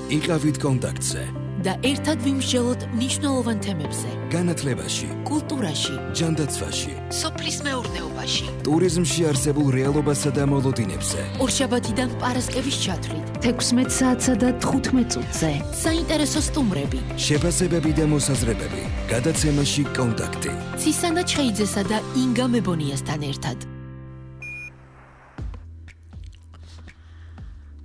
იყავით კონტაქტზე და ერთად ვიმსჯელოთ მნიშვნელოვან თემებზე. განათლებაში, კულტურაში, ჯანდაცვაში, სოფლის მეურნეობაში, ტურიზმში არსებულ რეალობასა და მოლოდინებზე. ორშაბათიდან პარასკევის ჩათვლით, 16 საათსა და 15 წუთზე. საინტერესო სტუმრები, შეფასებები და მოსაზრებები. გადაცემაში კონტაქტი. ცისანა ჩხეიძესა და ინგა მებონიასთან ერთად.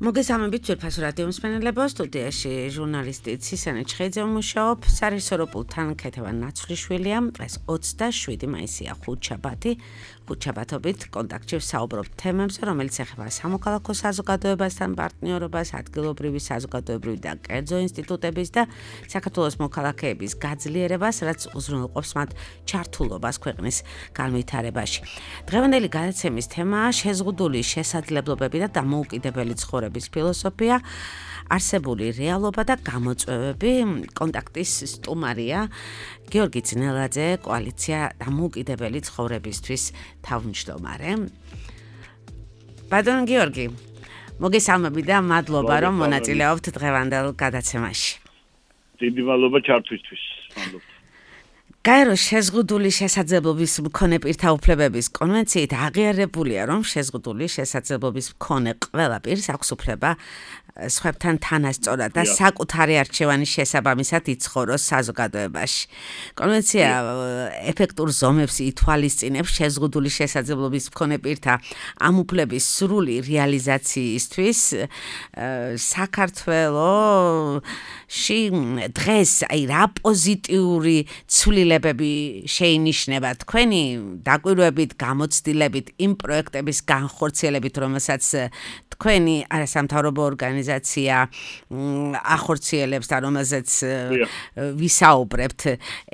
მოგესალმებით ძვირფასო რადიო მსმენელებო, სტუდიაში ჟურნალისტი ცისანა ჩხეიძე მუშაობ, სარესოროპულთან ქეთევან ნაცვლიშვილია. დღეს 27 მაისია, ხუთშაბათი. ხუთშაბათობით კონტაქტში ვსაუბრობთ თემებზე, რომელიც ეხება სამოქალაქო საზოგადოებასთან პარტნიორობას, ადგილობრივი საზოგადოებრივი და კერძო ინსტიტუტების და საქართველოს მოქალაქეების გაძლიერებას, რაც უზრუნველყოფს მათ ჩართულობას ქვეყნის განვითარებაში. დღევანდელი გადაცემის თემაა შეზღუდული შესაძლებლობები და დამოუკიდებელი ცხოვრების ფილოსოფია, არსებული რეალობა და გამოწვევები. კონტაქტის სტუმარია გიორგი ძნელაძე, კოალიცია დამოუკიდებელი ცხოვრებისთვის თავმჯდომარე. ბატონ გიორგი, მოგესალმები და მადლობა, რომ მონაწილეობთ დღევანდელ გადაცემაში. დიდი მადლობა ჩართვისთვის. გაეროს შეზღუდული შესაძლებლობის მქონე პირთა უფლებების კონვენციით აღიარებულია, რომ შეზღუდული შესაძლებლობის მქონე ყველა პირს აქვს უფლება სხვებთან თანასწორად და საკუთარი არჩევანის შესაბამისად იცხოვროს საზოგადოებაში. კონვენცია ეფექტურ ზომებს ითვალისწინებს შეზღუდული შესაძლებლობის მქონე პირთა ამ უფლების სრული რეალიზაციისთვის. საქართველოში დღეს რა პოზიტიური ცვლილებები შეინიშნება თქვენი დაკვირვებით, გამოცდილებით, იმ პროექტების განხორციელებით, რომელსაც თქვენი არასამთავრობო ორგანიზაცია ახორციელებს და რომელზეც ვისაუბრებთ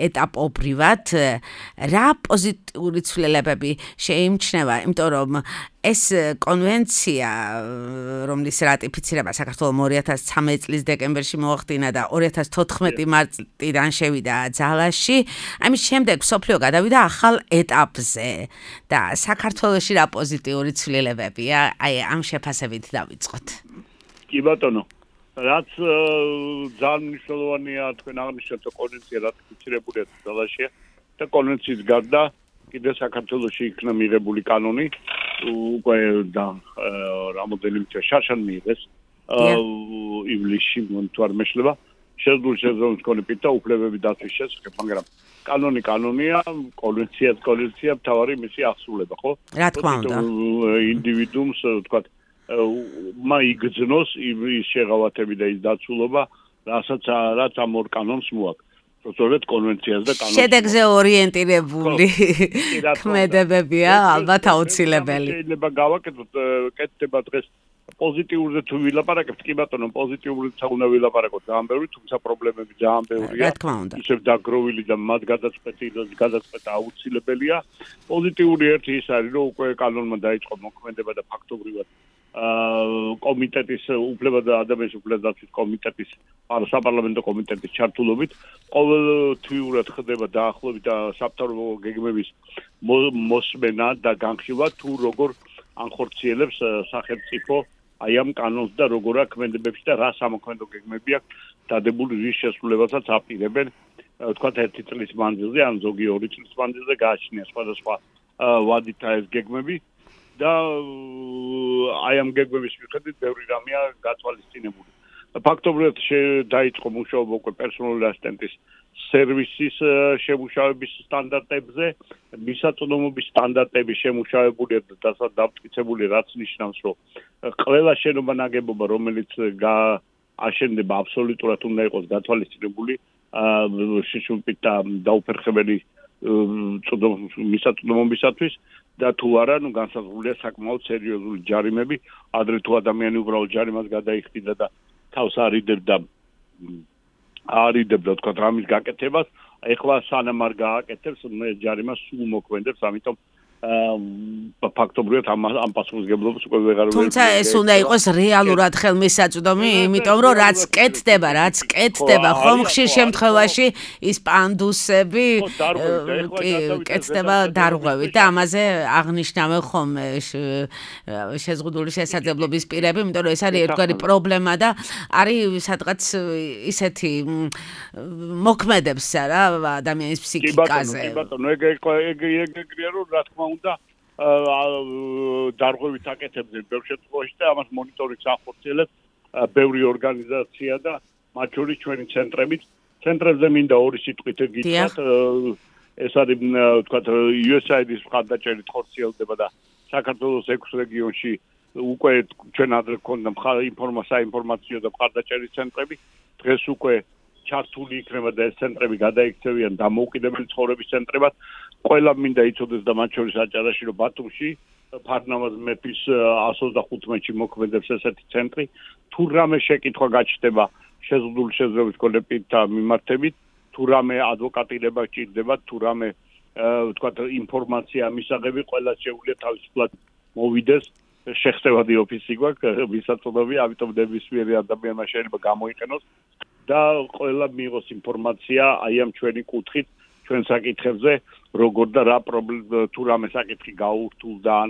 ეტაპობრივად, რა პოზიტიური ცვლილებები შეიმჩნევა, იმიტომ რომ ეს კონვენცია, რომლის რატიფიცირება საქართველოს 2013 წლის დეკემბერში მოახდინა და 2014 მარტიდან შევიდა ძალაში, ამის შემდეგ მსოფლიო გადავიდა ახალ ეტაპზე და საქართველოში რა პოზიტიური ცვლილებებია, აი ამ შეფასებით დავიწყოთ. კი ბატონო, რაც ძალიან მნიშვნელოვანია თქვენ აღნიშნეთ, კონვენცია რატიფიცირებულია ძალაშია და კონვენციის გარდა კიდე საქართველოში იქნა მიღებული კანონი, უკვე და რამოდენიმე შარშან მიიღეს ივლისში, თუ არ მეშლება, შეზღუდული შესაძლებლობის მქონე პირთა უფლებები დაცვის შესახებ, მაგრამ კანონია, კონვენცია, მთავარი მისი აღსრულება, ხო? რა თქმა უნდა. ინდივიდუუმს, თქვათ, იგრძნოს ის შეღავათები და ის დაცულობა, რაც ამ ორ კანონს მოაქვს. სწორედ კონვენციას და კანონს. შედეგზე ორიენტირებული ქმედებებია ალბათ აუცილებელი. შეიძლება გავაკეთოთ, კეთდება დღეს პოზიტიურზე თუ ვილაპარაკებთ, კი ბატონო, პოზიტიურზე უნდა ვილაპარაკოთ ძალიან ბევრი, თუმცა პრობლემები ძალიან ბევრია. რა თქმა უნდა. ისევ დაგროვილი და მათ გადაწყვეტა აუცილებელია. პოზიტიური ერთი ის არის, რომ უკვე კანონმა დაიწყო მოქმედება და ფაქტობრივად კომიტეტის უფლება და ადამიანის უფლებათა დაცვის კომიტეტის საპარლამენტო კომიტეტის ჩართულობით ყოველთვიურად ხდება დაახლოებით სამთავრობო გეგმების მოსმენა და განხილვა თუ როგორ ანხორციელებს სახელმწიფო აი ამ კანონს და როგორ აქვს ქმედებებში და რა სამოქმედო გეგმები აქვს დადებული, რის შესრულებასაც აპირებენ თქვათ 1 წლის მანძილზე ან ზოგი 2 წლის მანძილზე გააჩნია სხვადასხვა ვადით ეს გეგმები და აი ამ გეგმების მიხედვით ბევრი რამეა გათვალისწინებული. ფაქტობრივად დაიწყო მუშაობა უკვე პერსონალური ასისტენტის სერვისის შემუშავების სტანდარტებზე, მისაწვდომობის სტანდარტები შემუშავებულია და დამტკიცებული, რაც ნიშნავს, რომ ყველა შენობა ნაგებობა, რომელიც აშენდება, აბსოლუტურად უნდა იყოს გათვალისწინებული შიშუმით და დაუფერხებელი მისაწვდომობისათვის და თუ არა, განსაზღვრულია საკმაოდ სერიოზული ჯარიმები, ადრე თუ ადამიანი უბრალოდ ჯარიმას გადაიხდიდა და თავს არიდებდა თქვა რამის გაკეთებას, ეხლა სანამ არ გააკეთებს, ჯარიმას სულ მოქმედებს, ამიტომ ფაქტობრივად ამ პასუხისმგებლობას უკვე ვეღარ თუმცა ეს უნდა იყოს რეალურად ხელმისაწვდომი, იმიტომ რომ რაც კეთდება, ხომ ხშირ შემთხვევაში ის პანდუსები კეთდება დარღვევით და ამაზე აღნიშნავენ ხოლმე შეზღუდული შესაძლებლობის პირები, იმიტომ რომ ეს არის ერთგვარი პრობლემა და არის სადღაც ისეთი მოქმედებს რა ადამიანის ფსიქიკაზე. კი ბატონო, ეგრეა რომ რა თქმა უნდა დარღვევით აკეთებდნენ ბევრ შემთხვევაში და ამას მონიტორინგს ახორციელებს ბევრი ორგანიზაცია და მათ შორის ჩვენი ცენტრებზე მინდა ორი სიტყვით გითხრათ ეს არის თქვათ USAID-ის მხარდაჭერით ხორციელდება და საქართველოს 6 რეგიონში უკვე ჩვენ ადრე გქონდა საინფორმაციო და მხარდაჭერის ცენტრები დღეს უკვე ჩართული იქნება და ეს ცენტრები გადაიქცევიან დამოუკიდებელი ცხოვრების ცენტრებად. ყველა მინდა იცოდეს და მათ შორის აჭარაში რომ ბათუმში ფარნავაზ მეფის 125-ში მოქმედებს ესეთი ცენტრი. თუ რამე შეკითხვა გაჩნდება შეზღუდული შესაძლებლობის კოლექტივთან მიმართებით, თუ რამე ადვოკატირება გჭირდება, თუ რამე ვთქვათ ინფორმაცია მისაღები, ყველა შეუძლია თავისუფლად მოვიდეს. შეხსევადი ოფისი გვაქვს, ვისაწოდები, ამიტომ ნებისმიერი ადამიანმა შეიძლება გამოიყენოს და ყველა მიიღოს ინფორმაცია აი ამ ჩვენი კუთხით, ჩვენ საკითხებზე, როგორ და რა პრობლემა თუ რამე საკითხი გაურთულდა ან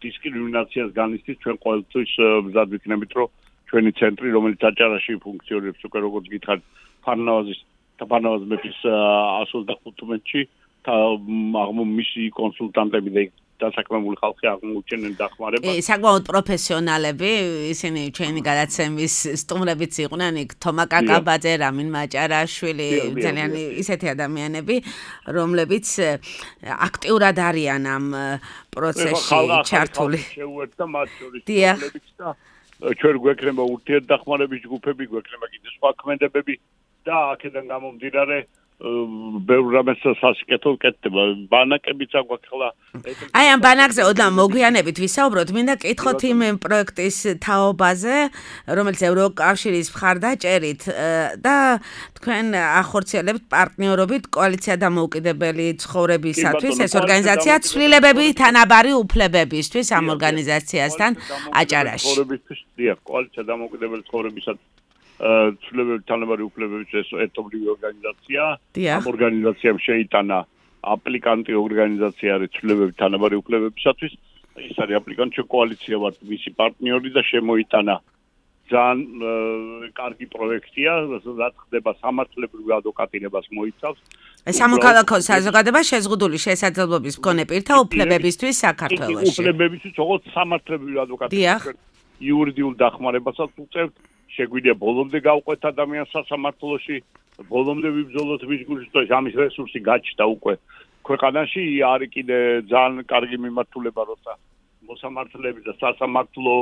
დისკრიმინაციას განიცდის, ჩვენ ყოველთვის მზად ვიქნებით, რომ ჩვენი ცენტრი, რომელიც აჭარაში ფუნქციონირებს უკვე როგორც გითხარით, ფარნავაზ მეფის 125-ში, მისი კონსულტანტები და დასაქმებული ხალხი აღმოუჩენენ დახმარებას. საკმაოდ პროფესიონალები, ისინი ჩვენი გადაცემის სტუმრებიც იყვნენ, იქ თომა კაკაბაძე, რამინ მაჭარაშვილი, ძალიან ისეთი ადამიანები, რომლებიც აქტიურად არიან ამ პროცესში ჩართული. შეუერთდა მათ შორის რომლებიც და ჩვენ გვექნება ურთიერთდახმარების ჯგუფები, გვექნება კიდე სხვა ქმედებები და აქედან გამომდინარე ბევრ რამეს სასიკეთო კეთდება. ბანაკებიც აგვაქვს ხოლმე. აი ამ ბანაკზე ოდნავ მოგვიანებით ვისაუბროთ, მინდა კითხოთ იმ პროექტის თაობაზე, რომელიც ევროკავშირის მხარდაჭერით და თქვენ ახორციელებთ პარტნიორობით კოალიცია დამოუკიდებელი ცხოვრებისათვის, ეს ორგანიზაცია ცვლილებები თანაბარი უფლებებისთვის ამ ორგანიზაციასთან აჭარაში. კოალიცია დამოუკიდებელი ცხოვრებისათვის ცვლილებები თანაბარი უფლებების ერთობლივი ორგანიზაცია. ამ ორგანიზაციამ შეიტანა აპლიკანტი ორგანიზაცია არის ცვლილებები თანაბარი უფლებებისათვის. ის არის აპლიკანტი კოალიცია ვართ მისი პარტნიორი და შემოიტანა ძალიან კარგი პროექტია, რაც ხდება სამართლებრივ ადვოკატირებას მოიცავს. სამოქალაქო საზოგადოება შეზღუდული შესაძლებლობის მქონე პირთა უფლებებისთვის საქართველოში. უფლებებისთვის როგორც სამართლებრივ ადვოკატირებას იურიდიულ დახმარებასაც უწევთ. შეგვიძლია ბოლომდე გავყვეთ ადამიანს სასამართლოში, ბოლომდე ვიბრძოლოთ მის გულში, თუ ამის რესურსი გაჩნდა უკვე ქვეყანაში, არის კიდე ძალიან კარგი მიმართულება, როცა მოსამართლეები და სასამართლო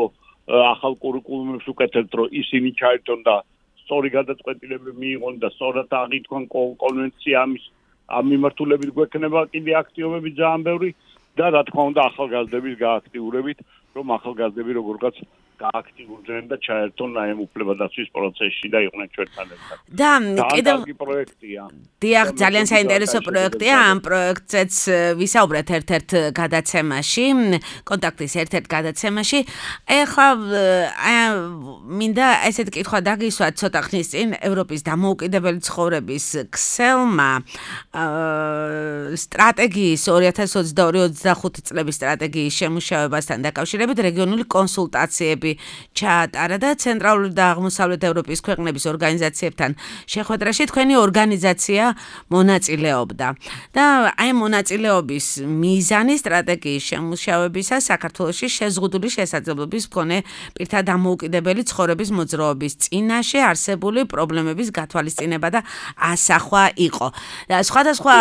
ახალ კურიკულუმებს უკეთებთ, რომ ისინი ჩაერთონ და სწორი გადაწყვეტილებები მიიღონ და სწორად აღიქვან კონვენცია ამ მიმართულებით გვექნება კიდე აქტივობები ძალიან ბევრი და რა თქმა უნდა ახალგაზრდების გააქტიურებით, რომ ახალგაზრდები როგორღაც გააქტიურდნენ და ჩაერთონ ამ უფლებადაცვის პროცესში და იყვნენ ჩვენთან ერთად. და კიდევ პროექტია. დიახ, ძალიან საინტერესო პროექტია. ამ პროექტზეც ვისაუბრეთ ერთ-ერთ გადაცემაში, კონტაქტის ერთ-ერთ გადაცემაში. ეხლა მინდა ესეთ კითხვა დაგისვათ ცოტა ხნის წინ ევროპის დამოუკიდებელი ცხოვრების ქსელმა სტრატეგიის 2022-25 წლების სტრატეგიის შემუშავებასთან დაკავშირებით რეგიონული კონსულტაციები ჩაატარა და ცენტრალური და აღმოსავლეთ ევროპის ქვეყნების ორგანიზაციებთან შეხვედრაში თქვენი ორგანიზაცია მონაწილეობდა. და აი მონაწილეობის მიზანი სტრატეგიის შემუშავებისა საქართველოში შეზღუდული შესაძლებლობის მქონე პირთა დამოუკიდებელი ცხოვრების მოძრაობის წინაშე არსებული პრობლემების გათვალისწინება და ასახვა იყო. და სხვადასხვა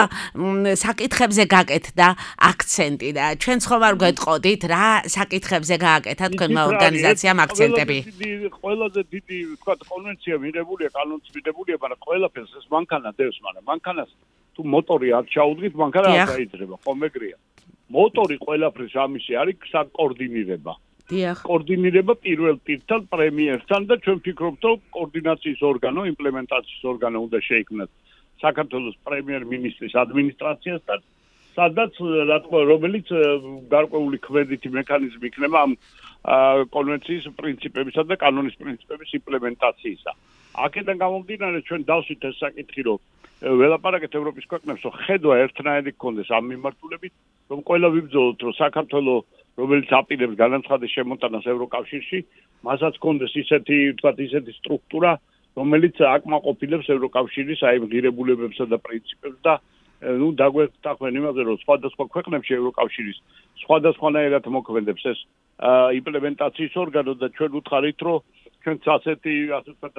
საკითხებზე გაკეთდა აქცენტი და ჩვენ ხომ არ გვეტყოდით რა საკითხებზე გააკეთა თქვენმა ორგანიზაციამ აქცენტები. ყველაზე დიდი თქვა კონვენცია მიღებულია, კანონიც მიღებულია, მაგრამ ყველაფერს ეს მანქანა დევს, მაგრამ მანქანას თუ მოტორი არ ჩაუდგით, მანქანა არ გაიძრება, ხომ ეგრეა. მოტორი ყველაფრის ამისი არის საკოორდინირება. კოორდინირება პირველ პირთან, პრემიერთან და ჩვენ ვფიქრობთ, რომ კოორდინაციის ორგანო, იმპლემენტაციის ორგანო უნდა შეიქმნას საქართველოს პრემიერ-მინისტრის ადმინისტრაციასთან სადაც რა თქმა უნდა რომელიც გარკვეული ქმედითი მექანიზმი იქნება ამ კონვენციის პრინციპებისა და კანონის პრინციპების იმპლემენტაციისა. აქედან გამომდინარე ჩვენ დავსვით ეს საკითხი რომ ველაპარაკეთ ევროპის ქვეყნებს რომ ხედვა ერთნაირი გქონდეს ამ მიმართულებით რომ ყველა ვიბრძოლოთ რომ საქართველოს რომელიც აპირებს განაცხადეს შემოტანას ევროკავშირში მასაც გქონდეს ისეთი სტრუქტურა რომელიც აკმაყოფილებს ევროკავშირის აი ღირებულებებსა და პრინციპებს და დაგვეთანხმენ იმაზე რომ სხვადასხვა ქვეყნებში ევროკავშირის სხვადასხვანაირად მოქმედებს ეს იმპლემენტაციის ორგანო და ჩვენ უთხარით რომ ჩვენც ასეთი ასე ვთქვათ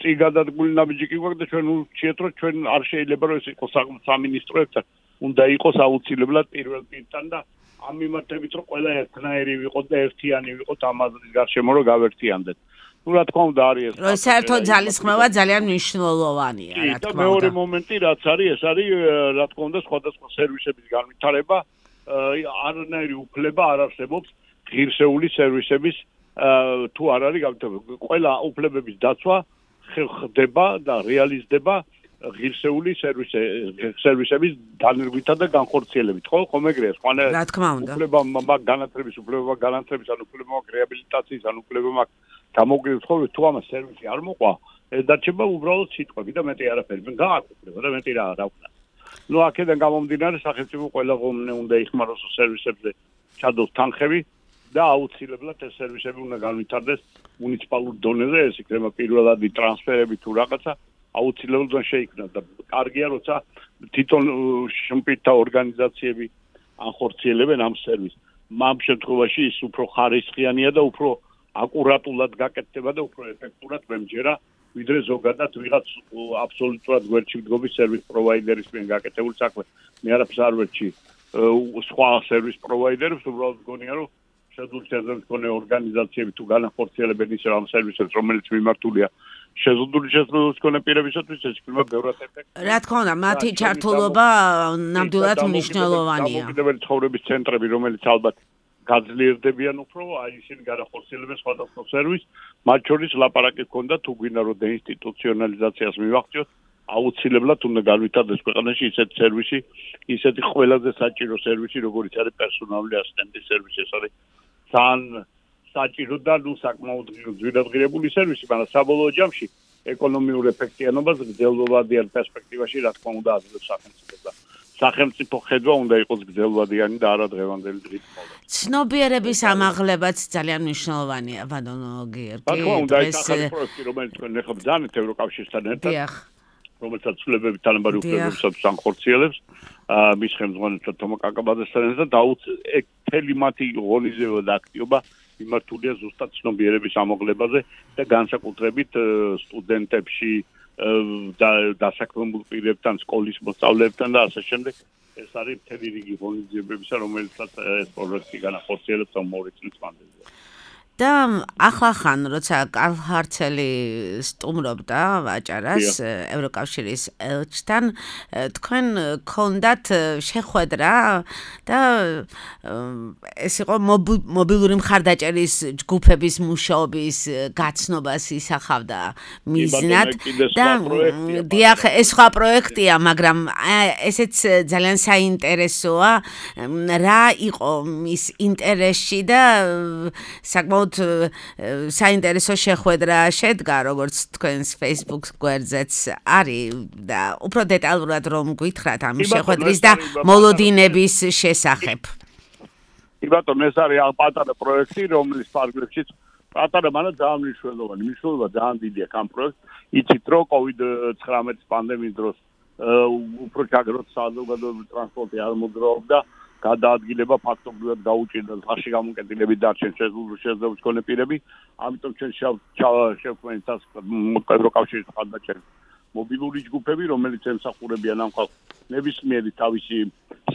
წიგადადგმული ნაბიჯი კი გვაქვს და ჩვენ ურჩიეთ რომ ჩვენ არ შეიძლება რომ ეს იყოს სამინისტროებთან უნდა იყოს აუცილებლად პირველ პირთან და ამ მიმართებით რომ ყველა ერთნაირი ვიყოთ და ერთიანი ვიყოთ ამ აზრის გარშემო რომ გავერთიანდეთ. Ну, რა თქმა უნდა არის ეს. რომ საერთოდ ძალისხმევა ძალიან მნიშვნელოვანია, რა თქმა უნდა. მეორე მომენტი რაც არის, ეს არის რა თქმა უნდა სხვადასხვა სერვისების განვითარება, არანაირი უფლება არ არსებობს ღირსეული სერვისების თუ არ არის განვითარება. ყველა უფლებების დაცვა ხდება და რეალიზდება ღირსეული სერვისების დანერგვითა და განხორციელებით. ხომ ეგრეა, რა თქმა უნდა. უფლება მაქვს განათლების, უფლება მაქვს განათლების, ან უფლება მაქვს რეაბილიტაციის, ან უფლება მაქვს გამოგრევის ხოლმე თუ ამას სერვისი არ მოყვა, ეს დარჩება უბრალოდ სიტყვები და მეტი არაფერი. გააქვს უფლება და მეტი რა ვქნა. ნუ აქედან გამომდინარე სახელმწიფო ყველა ღონე უნდა იხმაროს სერვისებზე ჩადოს თანხები და აუცილებლად ეს სერვისები უნდა განვითარდეს მუნიციპალურ დონეზე, ეს იქნება პირველადი ტრანსფერები თუ რაღაცა აუცილებლად შეიქმნას და კარგია როცა თვითონ შრომთა ორგანიზაციები ახორციელებენ ამ სერვისს. ამ შემთხვევაში ის უფრო ხარისხიანია და უფრო აკურატულად გაკეთდება და უფრო ეფექტურად მემჯერა ვიდრე ზოგადად ვიღაც აბსოლუტურად გვერდში მდგომი სერვის პროვაიდერის მიერ გაკეთებული საქმე. მე არაფერს არ ვერჩი სხვა სერვის პროვაიდერებს, უბრალოდ მგონია რომ შეზღუდული მქონე ორგანიზაციები თუ განახორციელებენ ისე ამ სერვისებს, რომელიც მიმართულია შეზღუდული მქონე პირებისათვის, ეს იქნება ბევრად ეფექტური. რა თქმა უნდა, მათი ჩართულობა ნამდვილად მნიშვნელოვანია. დამოუკიდებელი ცხოვრების ცენტრები, რომელიც ალბათ გაძლიერდებიან უფრო, აი ისინი განახორციელებენ სხვადასხვა სერვისს, მათ შორის ლაპარაკი ჰქონდა თუ გვინდა რომ დეინსტიტუციონალიზაციას მივახციოთ, აუცილებლად უნდა განვითარდეს ქვეყანაში ისეთი სერვისი, ისეთი ყველაზე საჭირო სერვისი, როგორც არის პერსონალური ასისტენტის სერვისი, ეს არის ძალიან საჭირო და საკმაოდ ძვირადღირებული სერვისი, მაგრამ საბოლოო ჯამში ეკონომიურ ეფექტიანობას გრძელვადიან პერსპექტივაში, რა თქმა უნდა, აძლევს სახელმწიფო და სახელმწიფო ხედვა უნდა იყოს გრძელვადიანი და არა დღევანდელი დღით მოვა. ცნობიერების ამაღლებაც ძალიან მნიშვნელოვანია, ბატონო გიორგი. რა თქმა უნდა, ეს ახალი პროექტი, რომელიც თქვენ ახლა ბრძანეთ ევროკავშირთან ერთად, რომელსაც ცვლილებებით თანაბარი უფლებებსაც განხორციელებს, მის ხელმძღვანელთან თომა კაკაბაძესთან ერთად თელი მათი ღონისძიება და აქტივობა მიმართულია ზუსტად ცნობიერების ამაღლებაზე და განსაკუთრებით სტუდენტებში დასაქმებულ პირებთან, სკოლის მოსწავლეებთან და ასე შემდეგ. ეს არის მთელი რიგი ღონისძიებებისა, რომელსაც ეს პროექტი განახორციელებს მომავალ წლის მანძილზე. და ახლახან როცა კარლ ჰარცელი სტუმრობდა ვაჭარას ევროკავშირის ელჩთან, თქვენ გქონდათ შეხვედრა და ეს იყო მობილური მხარდაჭერის ჯგუფების მუშაობის გაცნობას ისახავდა მიზნად და დიახ, ეს სხვა პროექტია, მაგრამ ესეც ძალიან საინტერესოა, რა იყო მის ინტერესში და საკმაოდ საინტერესო შეხვედრა შედგა, როგორც თქვენს Facebook გვერდზეც არის და უფრო დეტალურად რომ გითხრათ ამ შეხვედრის და მოლოდინების შესახებ. კი ბატონო, ეს არის პატარა პროექტი, რომლის ფარგლებშიც პატარა, მაგრამ ძალიან მნიშვნელოვანი. მნიშვნელობა ძალიან დიდია ამ პროექტს. იცით რომ COVID-19 პანდემიის დროს უფრო ჩაგროთ საზოგადოებრივი ტრანსპორტი არ მოძრაობდა. გადაადგილება ფაქტობრივად გაუჭირდა ხარში გამოკეტილებით დარჩენ შეზღუდული მქონე პირები, ამიტომ ჩვენ შევქმნით ევროკავშირის მხარდაჭერის მობილური ჯგუფები, რომელიც ემსახურებიან ამ ხალხს ნებისმიერი თავისი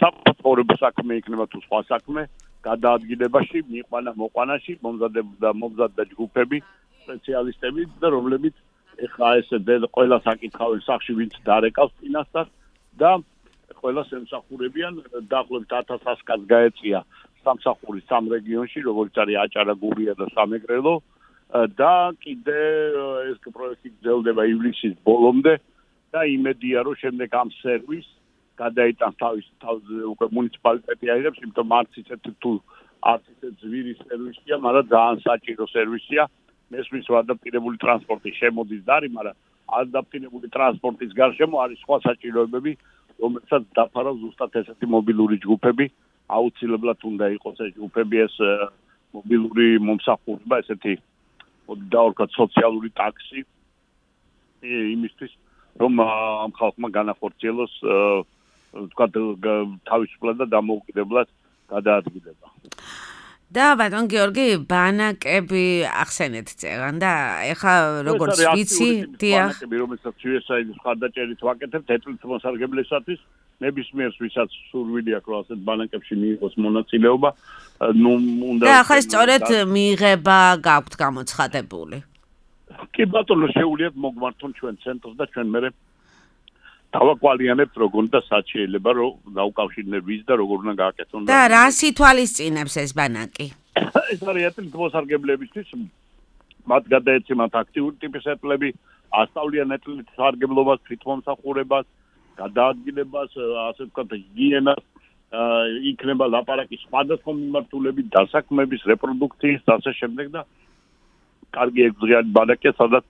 საფრთხო საქმე იქნება თუ სხვა საქმე, გადაადგილებაში, მოყვანაში, მომზადდა ჯგუფები, სპეციალისტები და რომლებიც ეხლა ესე ყველა საკითხავენ სახში ვინც დარეკავს წინასწარ და ყველას ემსახურებიან დაახლოებით 1100 კაცს გაეწია სამსახური სამ რეგიონში, როგორც არის აჭარა, გურია და სამეგრელო და კიდე ეს პროექტი გრძელდება ივლისის ბოლომდე და იმედია რომ შემდეგ ამ სერვისს გადაიტანს თავის უკვე მუნიციპალიტეტი აიღებს, იმიტომ არც ისეთ თუ არც ისეთ ზვირის სერვისია, მაგრამ ძალიან საჭირო სერვისია. მესმის ადაპტირებული ტრანსპორტი შემოდის და არის, მაგრამ ადაპტირებული ტრანსპორტის გარშემო არის სხვა საჭიროებები, რომელსაც დაფარავს ზუსტად ესეთი მობილური ჯგუფები. აუცილებლად უნდა იყოს ეს ჯგუფები, ეს მობილური მომსახურება, ესეთი დაორქა სოციალური ტაქსი იმისთვის, რომ ამ ხალხმა განახორციელოს თქვათ თავისუფლად და დამოუკიდებლად გადაადგილება. და ბატონ გიორგი, ბანაკები ახსენეთ წეგან და ეხა როგორც ვიცი, დიახ, ბანაკები, რომელსაც USAID-ის მხარდაჭერით ვაკეთებთ, ეთნიკურ მოსარგებლისათვის, ნებისმიერს ვისაც სურვილი აქვს, რომ ასეთ ბანაკებში მიიღოს მონაწილეობა, უნდა და ახლა სწორედ მიიღება გაქვთ გამოცხადებული. კი ბატონო, შეუძლიათ მოგმართონ ჩვენ ცენტრს და ჩვენ მერე დავაკვალიანებთ როგორ და სად შეიძლება რომ დაუკავშირდნენ ვის და როგორ უნდა გააკეთონ. და რას ითვალისწინებს ეს ბანაკი? ეს არის ეთნიკურ მოსარგებლებისთვის, მათ გადაეცემათ აქტიური ტიპის ეთლები, ასწავლიან ეთნიკურ სარგებლობას, თვითმომსახურებას, გადაადგილებას, ასე ვთქვათ, ჰიგიენას, იქნება ლაპარაკი სხვადასხვა მიმართულებით, დასაქმების, რეპროდუქციის და ასე შემდეგ და კარგი ეგზრიანი ბანაკია, სადაც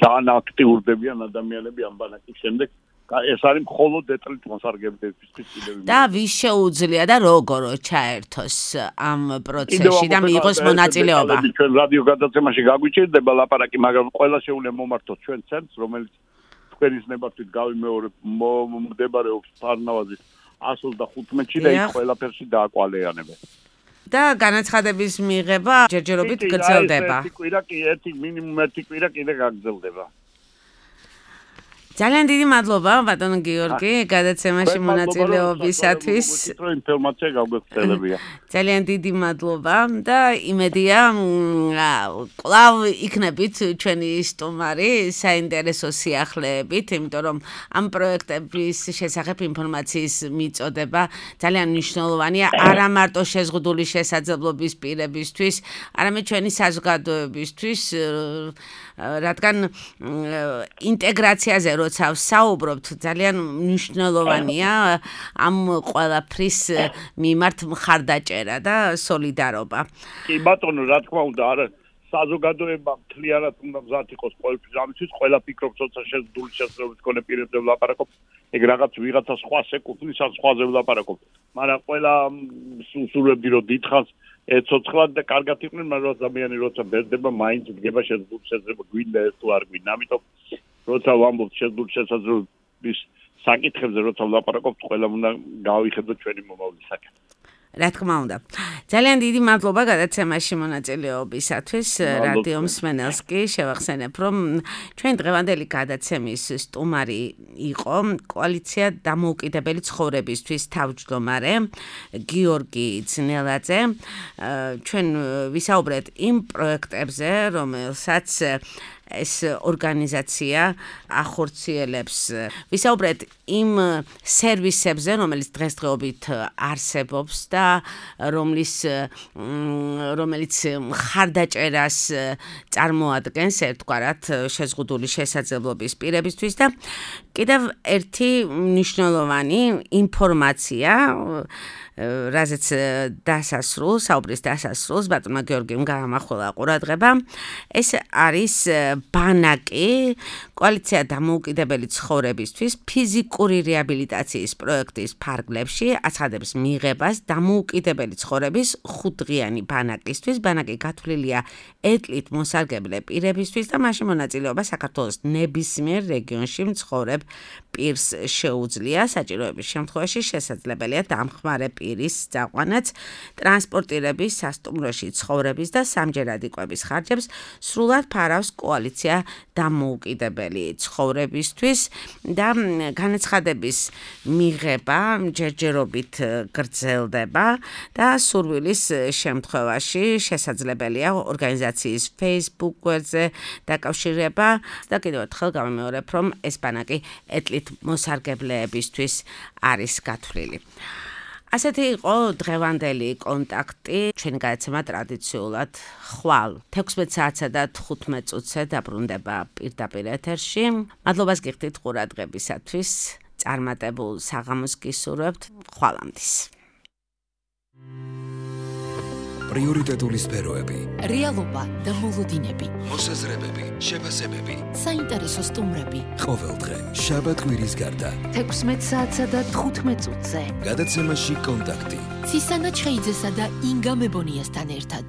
ძალიან აქტიურდებიან ადამიანები ამ ბანაკის შემდეგ. ეს არის მხოლოდ ეთნიკურ მოსარგებლეებისთვის კიდევ. და ვის შეუძლია და როგორ ჩაერთოს ამ პროცესში და მიიღოს მონაწილეობა? ჩვენ რადიო გადაცემაში გაგვიჭირდება ლაპარაკი, მაგრამ ყველა შეუძლია მომართოს ჩვენ ცენტრს, რომელიც თქვენის ნებართვით მდებარეობს ფარნავაზის 125-ში და იქ ყველაფერში დააკვალეიანებენ. და განაცხადების მიღება ჯერჯერობით გრძელდება. ერთი მინიმუმ ერთი კვირა კიდე გაგრძელდება. ძალიან დიდი მადლობა ბატონ გიორგი გადაცემაში მონაწილეობისათვის. ინფორმაცია გაგვეცელებია. ძალიან დიდი მადლობა და იმედია კვლავ იქნებით ჩვენი სტუმარი საინტერესო სიახლეებით, იმიტომ რომ ამ პროექტების შესახებ ინფორმაციის მიწოდება ძალიან მნიშვნელოვანია არა მარტო შეზღუდული შესაძლებლობის პირებისთვის, არამედ ჩვენი საზოგადოებისთვის, რადგან ინტეგრაციაზე როცა ვსაუბრობთ, ძალიან მნიშვნელოვანია ამ ყველაფრის მიმართ მხარდაჭერა და სოლიდარობა. კი ბატონო, რა თქმა უნდა, არა საზოგადოება მთლიანად უნდა მზად იყოს ყველაფრის ამისთვის, ყველა ფიქრობს, როცა შეზღუდული შესაძლებლობის მქონე პირებზე ვლაპარაკობ, ეგ რაღაც ვიღაცა სხვას ეკუთვნის, ან სხვაზე ვლაპარაკობ. მაგრამ ყველა სულები რომ დიდხანს ეცოცხლად და კარგად იყვნენ, მაგრამ ადამიანი როცა ბერდება, მაინც დგება შეზღუდული შესაძლებლობა, გვინდა ეს თუ არ გვინდა. ამიტომ როცა ვამბობთ შეზღუდული შესაძლებლობის საკითხებზე, როცა ვლაპარაკობთ, ყველა უნდა გავიხედოთ ჩვენი მომავლის საკითხი. რა თქმა უნდა. ძალიან დიდი მადლობა გადაცემაში მონაწილეობისათვის. რადიო მსმენელს კი შევახსენებ, რომ ჩვენ დღევანდელი გადაცემის სტუმარი იყო კოალიცია დამოუკიდებელი ცხოვრებისთვის თავმჯდომარე გიორგი ძნელაძე. ჩვენ ვისაუბრეთ იმ პროექტებზე, რომელსაც ეს ორგანიზაცია ახორციელებს. ვისაუბრეთ იმ სერვისებზე, რომელიც დღესდღეობით არსებობს და რომელიც მხარდაჭერას წარმოადგენს ერთგვარად შეზღუდული შესაძლებლობის პირებისთვის და კიდევ ერთი მნიშვნელოვანი ინფორმაცია რაზეც საუბრის დასასრულს ბატონმა გიორგიმ გაამახვილა ყურადღება. ეს არის ბანაკი კოალიცია დამოუკიდებელი ცხოვრებისთვის ფიზიკური რეაბილიტაციის პროექტის ფარგლებში აცხადებს მიღებას დამოუკიდებელი ცხოვრების 5 დღიანი ბანაკისთვის. ბანაკი გათვლილია ეთლით მოსარგებლე პირებისთვის და მასში მონაწილეობა საქართველოს ნებისმიერ რეგიონში მცხოვრებ პირს შეუძლია. საჭიროების შემთხვევაში შესაძლებელია დამხმარე პირის წაყვანაც ტრანსპორტირების, სასტუმროში ცხოვრების და სამჯერადი კვების ხარჯებს სრულად ფარავს კოალიცია დამოუკიდებელი ცხოვრებისთვის და განაცხადების მიღება ჯერჯერობით გრძელდება და სურვილის შემთხვევაში შესაძლებელია ორგანიზაციის Facebook გვერდზე დაკავშირება და კიდევ ერთხელ გამიმეორებ, რომ ეს ბანაკი ეთლით მოსარგებლეებისთვის არის გათვლილი. ასეთი იყო დღევანდელი კონტაქტი. ჩვენი გადაცემა ტრადიციულად ხვალ 16 საათსა და 15 წუთზე დაბრუნდება პირდაპირ ეთერში. მადლობას გიხდით ყურადღებისათვის. წარმატებულ საღამოს გისურვებთ. ხვალამდის. პრიორიტეტული სფეროები, რეალობა და მოლოდინები, მოსაზრებები, შეფასებები. საინტერესო სტუმრები. ყოველდღე, შაბათ-კვირის გარდა. 16 საათსა და 15 წუთზე. გადაცემაში კონტაქტი. ცისანა ჩხეიძესა და ინგა მებონიასთან ერთად.